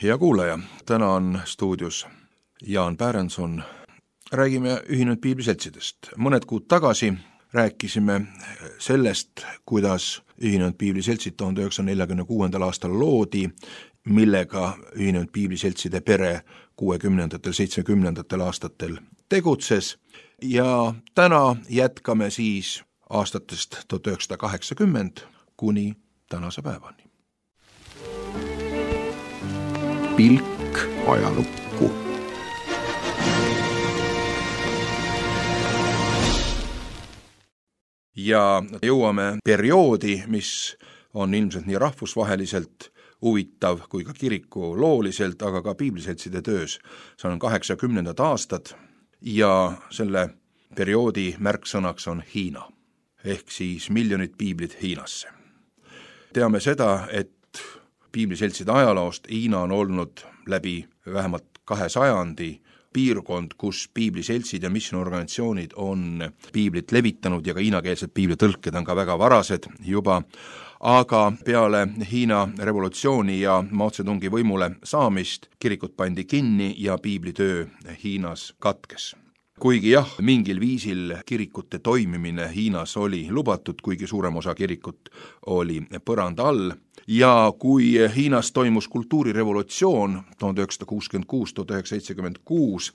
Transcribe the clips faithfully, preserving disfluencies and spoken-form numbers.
Hea kuulaja, täna on stuudios Jaan Pärenson. Räägime Ühinenud Piibliseltsidest. Mõned kuud tagasi rääkisime sellest, kuidas Ühinenud Piibliseltsid tuhande üheksasaja neljakümne kuuendal aastal loodi, millega Ühinenud Piibliseltside pere kuuekümnendatel, seitsmekümnendatel aastatel tegutses ja täna jätkame siis aastatest tuhat üheksasada kaheksakümmend kuni tänase päevani. Pilk ajalukku. Ja jõuame perioodi, mis on ilmselt nii rahvusvaheliselt huvitav kui ka kiriku looliselt, aga ka piibliseltside töös. See on kaheksakümnendad aastad ja selle perioodi märksõnaks on Hiina, ehk siis miljonid piiblid Hiinasse. Teame seda, et piibliseltside ajaloost Hiina on olnud läbi vähemalt kahe sajandi piirkond, kus piibliseltsid ja missionorganisatsioonid on piiblit levitanud ja ka hiinakeelsed piiblitõlked on ka väga varased juba, aga peale Hiina revolutsiooni ja Mao Zedongi võimule saamist kirikud pandi kinni ja piiblitöö Hiinas katkes. Kuigi jah, mingil viisil kirikute toimimine Hiinas oli lubatud, kuigi suurem osa kirikut oli põranda all, ja kui Hiinas toimus kultuurirevolutsioon tuhande üheksasada kuuskümmend kuus tuhat üheksasada seitsekümmend kuus,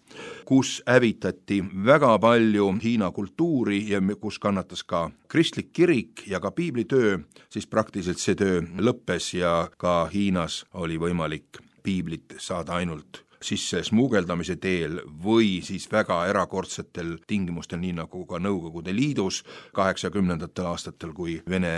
kus hävitati väga palju Hiina kultuuri ja kus kannatas ka kristlik kirik ja ka piiblitöö, siis praktiliselt see töö lõppes ja ka Hiinas oli võimalik piiblit saada ainult sisse smuugeldamise teel või siis väga erakordsetel tingimustel, nii nagu ka Nõukogude Liidus kaheksakümnendatel aastatel, kui Vene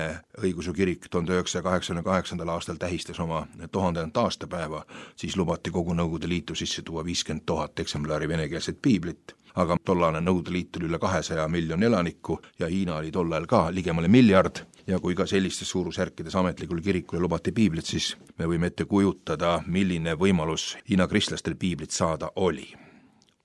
õigeusu kirik tuhande üheksasaja kaheksakümne kaheksandal aastal tähistas oma tuhandendat aastapäeva, siis lubati kogu Nõukogude Liitu sisse tuua viiskümmend tuhat eksemplari venekeelset piiblit. Aga tollane Nõukogude Liit oli üle kahesaja miljoni elaniku ja Hiina oli tollal ka ligemale miljard ja kui ka sellistes suurusjärkides ametlikul kirikule lubati piiblit, siis me võime ette kujutada, milline võimalus Hiina kristlastel piiblit saada oli.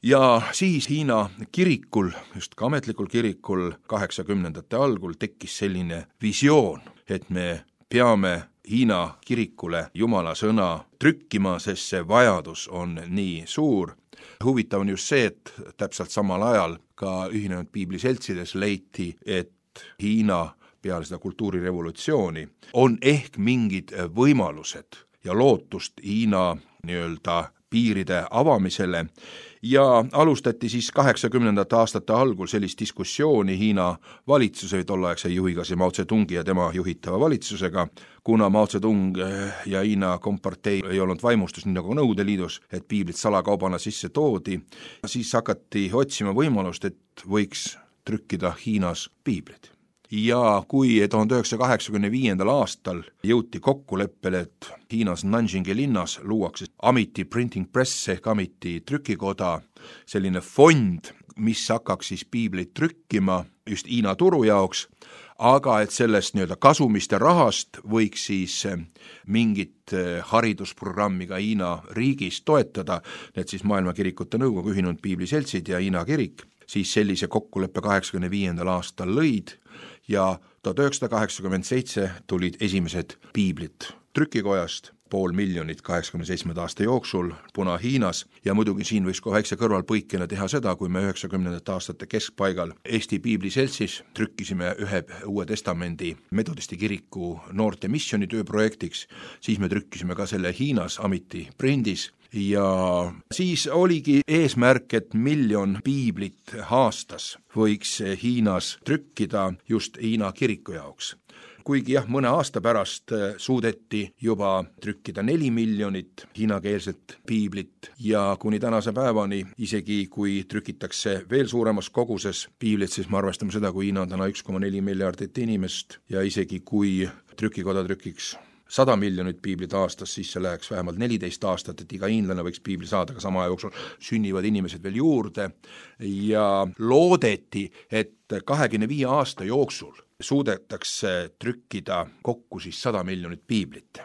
Ja siis Hiina kirikul, just ka ametlikul kirikul kaheksakümnendate algul tekkis selline visioon, et me peame Hiina kirikule Jumala sõna trükkima, sest see vajadus on nii suur. Huvitav on just see, et täpselt samal ajal ka Ühinenud Piibliseltsides leiti, et Hiina peale seda kultuurirevolutsiooni on ehk mingid võimalused ja lootust Hiina nii-öelda piiride avamisele ja alustati siis kaheksakümnendate aastate algul sellist diskussiooni Hiina valitsuse tolleaegse juhiga, see Mao Zedongi ja tema juhitava valitsusega, kuna Mao Zedong ja Hiina kompartei ei olnud vaimustus nii nagu Nõukogude Liidus, et piiblit salakaubana sisse toodi, siis hakati otsima võimalust, et võiks trükkida Hiinas piiblit. Ja kui tuhande üheksasaja kaheksakümne viiendal aastal jõuti kokkuleppele, et Hiinas Nanjingi linnas luuakse Amity Printing Press ehk Amity trükikoda, selline fond, mis hakkaks siis piiblit trükkima just Hiina turu jaoks, aga et sellest nii-öelda kasumist ja rahast võiks siis mingit haridusprogrammi ka Hiina riigis toetada, need siis Maailma Kirikute Nõukogu, Ühinenud Piibliseltsid ja Hiina kirik, siis sellise kokkuleppe kaheksakümne viiendal aastal lõid ja tuhat üheksasada kaheksakümmend seitse tulid esimesed piiblid trükikojast, pool miljonit kaheksakümne seitsmenda aasta jooksul Puna-Hiinas ja muidugi siin võiks ka väikse kõrvalpõikena teha seda, kui me üheksakümnendate aastate keskpaigal Eesti Piibliseltsis trükkisime ühe Uue Testamendi metodisti kiriku noorte missionitööprojektiks, siis me trükkisime ka selle Hiinas Amity prindis ja siis oligi eesmärk, et miljon piiblit aastas võiks Hiinas trükkida just Hiina kiriku jaoks. Kuigi jah, mõne aasta pärast suudeti juba trükkida neli miljonit hiinakeelset piiblit ja kuni tänase päevani, isegi kui trükitakse veel suuremas koguses piiblit, siis me arvestame seda, kui Hiina on täna üks koma neli miljardit inimest ja isegi kui trükikoda trükiks sada miljonit piiblit aastas, siis see läheks vähemalt neliteist aastat, et iga hiinlane võiks piibli saada, aga sama jooksul sünnivad inimesed veel juurde ja loodeti, et kahekümne viie aasta jooksul suudetakse trükkida kokku siis sada miljonit piiblit.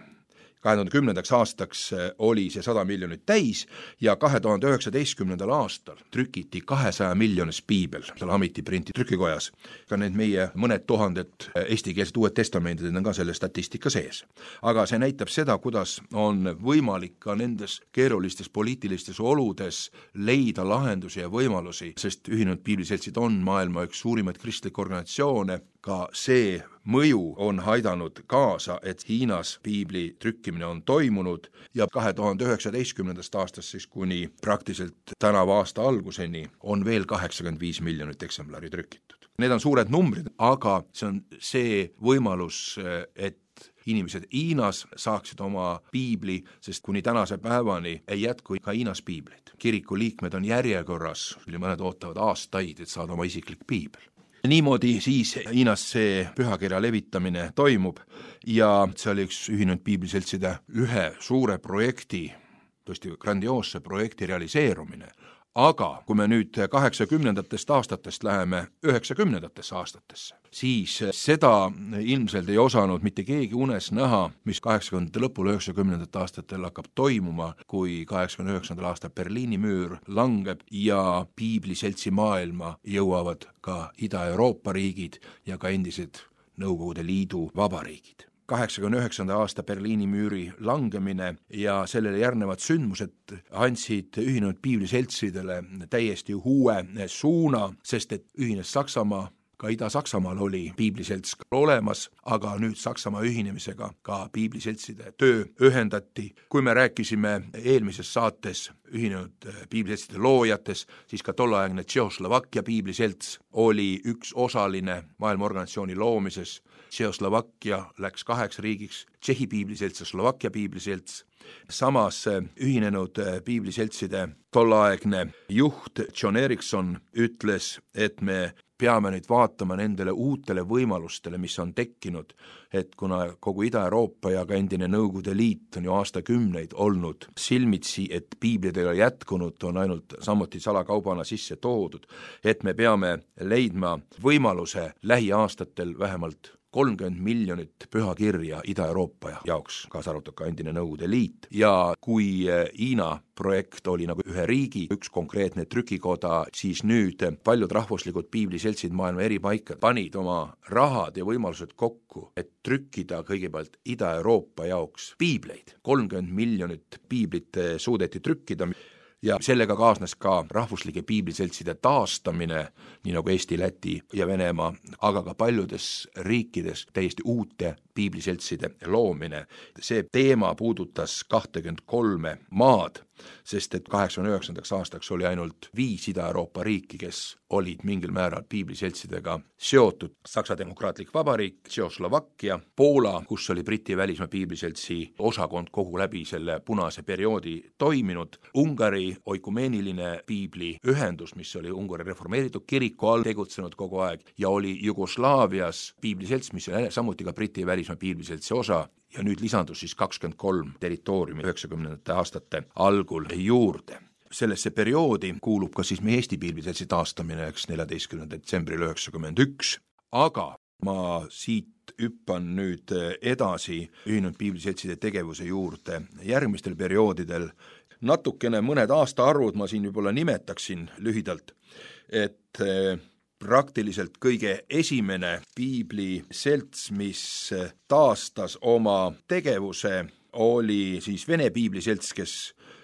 kahe tuhande kümnendaks aastaks oli see sada miljonit täis ja kahe tuhande üheksateistkümnendal aastal trükiti kahesaja miljonis piibel seal Amiti printi trükikojas. Ka need meie mõned tuhanded eestikeelsed uued testamendid on ka selle statistika sees. Aga see näitab seda, kuidas on võimalik ka nendes keerulistes poliitilistes oludes leida lahendusi ja võimalusi, sest Ühinenud Piibliseltsid on maailma üks suurimaid kristlikke organisatsioone. Ka see mõju on aidanud kaasa, et Hiinas piibli trükkimine on toimunud ja kahe tuhande üheksateistkümnendast aastast siis kuni praktiliselt tänava aasta alguseni on veel kaheksakümmend viis miljonit eksemplari trükitud. Need on suured numbrid, aga see on see võimalus, et inimesed Hiinas saaksid oma piibli, sest kuni tänase päevani ei jätku ka Hiinas piiblit. Kiriku liikmed on järjekorras, mõned ootavad aastaid, et saada oma isiklik piibel. Niimoodi siis Hiinas see pühakirja levitamine toimub ja see oli üks Ühinenud Piibliseltside ühe suure projekti, tõesti grandioosse projekti realiseerumine. Aga kui me nüüd kaheksakümnendatest aastatest läheme üheksakümnendatesse aastatesse, siis seda ilmselt ei osanud mitte keegi unes näha, mis kaheksakümnendate lõpul üheksakümnendate aastatel hakkab toimuma, kui kaheksakümne üheksandal aastal Berliini müür langeb ja piibliseltsi maailma jõuavad ka Ida-Euroopa riigid ja ka endised Nõukogude Liidu vabariigid. kaheksakümne üheksanda aasta Berliini müüri langemine ja sellele järgnevad sündmused andsid Ühinenud Piibliseltsidele täiesti uue suuna, sest et ühines Saksamaa, ka Ida-Saksamaal oli piibliselts olemas, aga nüüd Saksamaa ühinemisega ka piibliseltside töö ühendati. Kui me rääkisime eelmises saates Ühinenud Piibliseltside loojates, siis ka tollaegne Tšehhoslovakkia piibliselts oli üks osaline maailmaorganisatsiooni loomises. Tšehhoslovakkia läks kaheks riigiks, Tšehhi piibliselts ja Slovakkia piibliselts. Samas Ühinenud Piibliseltside tollaegne juht John Erickson ütles, et me peame nüüd vaatama nendele uutele võimalustele, mis on tekkinud, et kuna kogu Ida-Euroopa ja ka endine Nõukogude Liit on ju aastakümneid olnud silmitsi, et piiblid ei ole jätkunud, on ainult samuti salakaubana sisse toodud, et me peame leidma võimaluse lähiaastatel vähemalt kolmkümmend miljonit pühakirja Ida-Euroopa jaoks, kaasa arvatud ka endine Nõukogude Liit. Ja kui Hiina projekt oli nagu ühe riigi, üks konkreetne trükikoda, siis nüüd paljud rahvuslikud piibliseltsid maailma eri paika panid oma rahad ja võimalused kokku, et trükkida kõigepealt Ida-Euroopa jaoks piibleid. kolmkümmend miljonit piiblit suudeti trükkida. Ja sellega kaasnes ka rahvuslike piibliseltside taastamine, nii nagu Eesti, Läti ja Venemaa, aga ka paljudes riikides täiesti uute piibliseltside loomine. See teema puudutas kakskümmend kolme maad, sest et kaheksakümne üheksandaks aastaks oli ainult viis Ida-Euroopa riiki, kes olid mingil määral piibliseltsidega seotud. Saksa Demokraatlik Vabariik, Tšehhoslovakkia, Poola, kus oli Briti välismaa piibliseltsi osakond kogu läbi selle punase perioodi toiminud, Ungari oikumeeniline piibliühendus, mis oli Ungari reformeeritud kiriku all tegutsenud kogu aeg ja oli Jugoslaavias piibliselts, mis oli samuti ka Briti välismaa piibliseltsi osa ja nüüd lisandus siis kakskümmend kolm territooriumi üheksakümnendate aastate algul juurde. Sellesse perioodi kuulub ka siis meie Eesti piibliseltsi taastamine neljateistkümnendal detsembril üheksakümmend üks, aga ma siit hüppan nüüd edasi Ühinenud Piibliseltside tegevuse juurde järgmistel perioodidel. Natukene mõned aastaarvud ma siin võib-olla nimetaksin lühidalt, et praktiliselt kõige esimene piibliselts, mis taastas oma tegevuse, oli siis Vene piibliselts, kes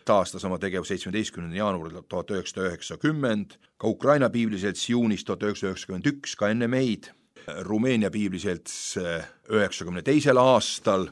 taastas oma tegevus seitsmeteistkümnendal jaanuaril tuhat üheksasada üheksakümmend, ka Ukraina piibliselts juunis tuhat üheksasada üheksakümmend üks, ka enne meid, Rumeenia piibliselts üheksakümne teisel aastal,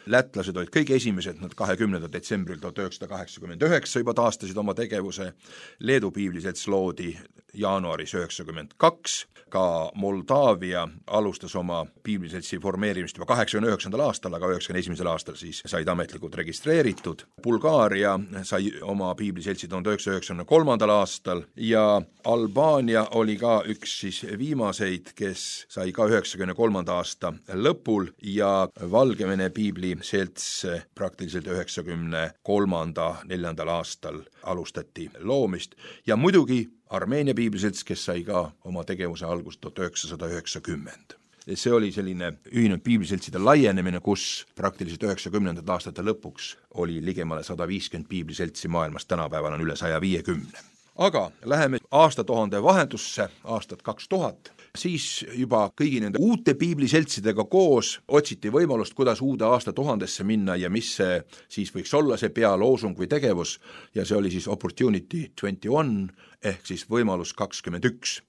lätlased olid kõige esimesed, nad kahekümnendal detsembril tuhat üheksasada kaheksakümmend üheksa juba taastasid oma tegevuse, Leedu piibliselts loodi jaanuaris üheksakümmend kaks, ka Moldaavia alustas oma piibliseltsi formeerimist juba kaheksakümne üheksandal aastal, aga üheksakümne esimesel aastal siis said ametlikult registreeritud. Bulgaaria sai oma piibliseltsi tuhat üheksasada üheksakümne kolmandal aastal ja Albaania oli ka üks siis viimaseid, kes sai ka üheksakümne kolmanda aasta lõpul ja Valgevene piibliselts praktiliselt üheksakümne kolmanda neljandal aastal alustati loomist ja muidugi Armeenia piibliselts, kes sai ka oma tegevuse algust tuhat üheksasada üheksakümmend. see oli selline ühinenud piibliseltside laienemine, kus praktiliselt üheksakümnendate aastate lõpuks oli ligemale sada viiskümmend piibliseltsi maailmas, tänapäeval on üle saja viiekümne. Aga läheme aastatuhande vahendusse, aastat kaks tuhat, siis juba kõigi nende uute piibliseltsidega koos otsiti võimalust, kuidas uude aastatuhandesse minna ja mis see siis võiks olla see pealoosung või tegevus, ja see oli siis Opportunity kakskümmend üks ehk siis võimalus kakskümmend üks.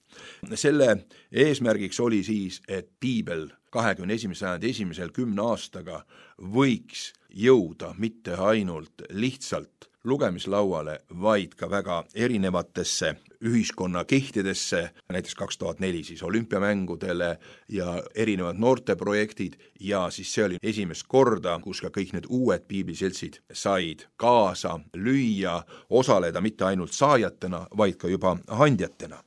Selle eesmärgiks oli siis, et piibel kahekümne esimese sajandi esimesel kümne aastaga võiks jõuda mitte ainult lihtsalt lugemislauale, vaid ka väga erinevatesse ühiskonna kihtidesse, näiteks kaks tuhat neli siis olümpiamängudele ja erinevad noorteprojektid, ja siis see oli esimest korda, kus ka kõik need uued piibliseltsid said kaasa lüüa, osaleda mitte ainult saajatena, vaid ka juba handjatena.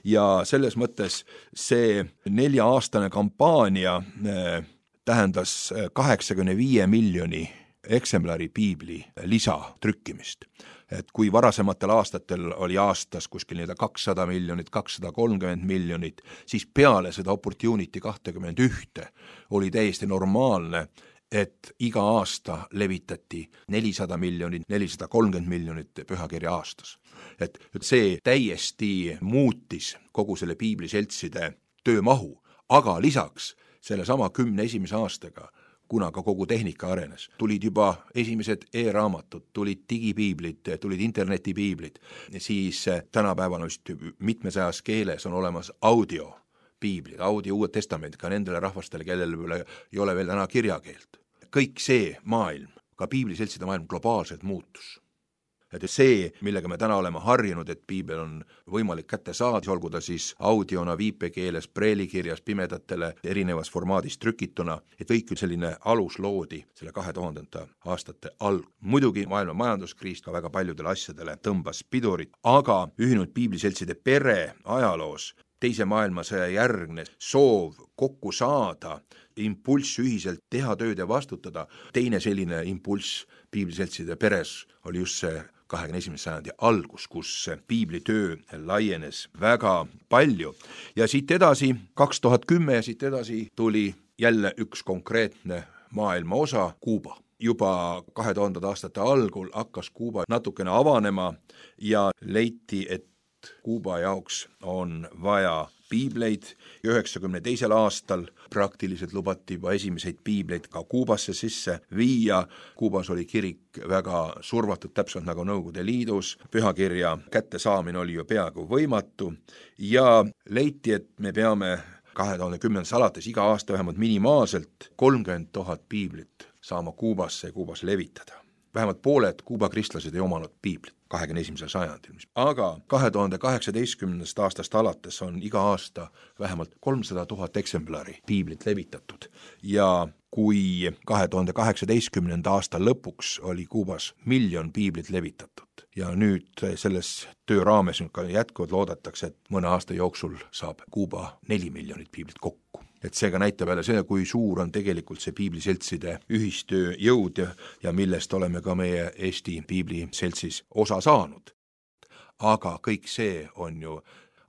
Ja selles mõttes see nelja-aastane kampaania äh, tähendas kaheksakümne viie miljoni eksemplari piibli lisatrükkimist. Et kui varasematel aastatel oli aastas kuskil nii kakssada miljonit, kakssada kolmkümmend miljonit, siis peale seda Opportunity kakskümmend üks oli täiesti normaalne, et iga aasta levitati nelisada miljonit, nelisada kolmkümmend miljonit pühakirja aastas. Et see täiesti muutis kogu selle piibliseltside töömahu, aga lisaks selle sama kümne esimese aastaga, kuna ka kogu tehnika arenes, tulid juba esimesed e-raamatud, tulid digipiiblid, tulid internetipiiblid, siis tänapäeval vist mitmesajas keeles on olemas audio piiblid, audio Uued Testamendid ka nendele rahvastele, kellele ei ole veel täna kirjakeelt. Kõik see maailm, ka piibliseltside maailm globaalselt muutus. Et see, millega me täna oleme harjunud, et piibel on võimalik kätte saada, olgu ta siis audiona, viipekeeles, preelikirjas, pimedatele, erinevas formaadis trükituna, et kõik selline alus loodi selle kahe tuhandenda aastate alg. Muidugi maailma majanduskriis ka väga paljudele asjadele tõmbas pidurit, aga ühinenud piibliseltside pere ajaloos teise maailmasõja järgne soov kokku saada, impulss ühiselt teha tööd ja vastutada, teine selline impulss piibliseltside peres oli just see kahekümne esimese sajandi algus, kus piiblitöö laienes väga palju. Ja siit edasi, kaks tuhat kümme ja siit edasi tuli jälle üks konkreetne maailma osa, Kuuba. Juba kahe tuhandenda aastate algul hakkas Kuuba natukene avanema ja leiti, et Kuuba jaoks on vaja piibleid. üheksakümne teisel aastal praktiliselt lubati juba esimeseid piibleid ka Kuubasse sisse viia. Kuubas oli kirik väga survatud, täpselt nagu Nõukogude Liidus. Pühakirja kättesaamine oli ju peaaegu võimatu ja leiti, et me peame kahe tuhande kümnendast alates iga aasta vähemalt minimaalselt kolmkümmend tuhat piiblit saama Kuubasse ja Kuubas levitada. Vähemalt pooled Kuuba kristlased ei omanud piiblit kahekümne esimesel sajandil. Aga kahe tuhande kaheksateistkümnendast aastast alates on iga aasta vähemalt kolmsada tuhat eksemplari piiblit levitatud ja kui kahe tuhande kaheksateistkümnenda aasta lõpuks oli Kuubas miljon piiblit levitatud ja nüüd selles töö raames nüüd ka jätkuvalt loodetakse, et mõne aasta jooksul saab Kuuba neli miljonit piiblit kokku. Et seega näitab jälle see, kui suur on tegelikult see piibliseltside ühistöö jõud ja, ja millest oleme ka meie Eesti piibliseltsis osa saanud. Aga kõik see on ju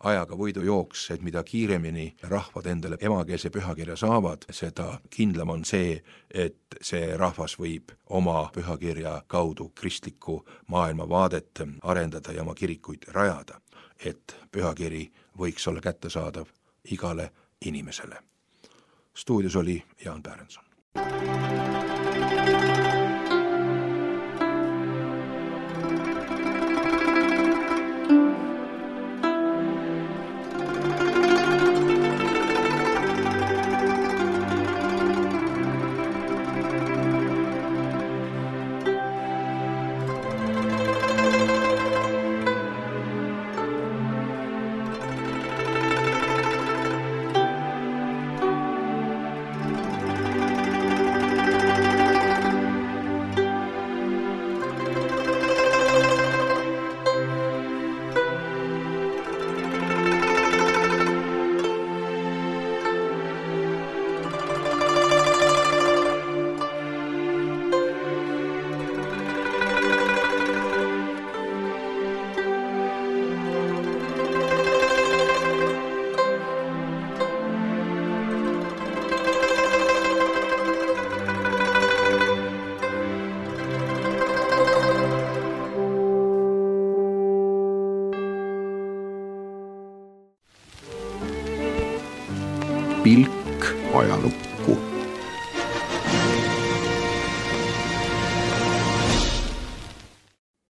ajaga võidujooks, et mida kiiremini rahvad endale emakeelse pühakirja saavad, seda kindlam on see, et see rahvas võib oma pühakirja kaudu kristlikku maailmavaadet arendada ja oma kirikuid rajada, et pühakiri võiks olla kättesaadav igale inimesele. Stuudios oli Jaan Pärenson. pilk ajalukku.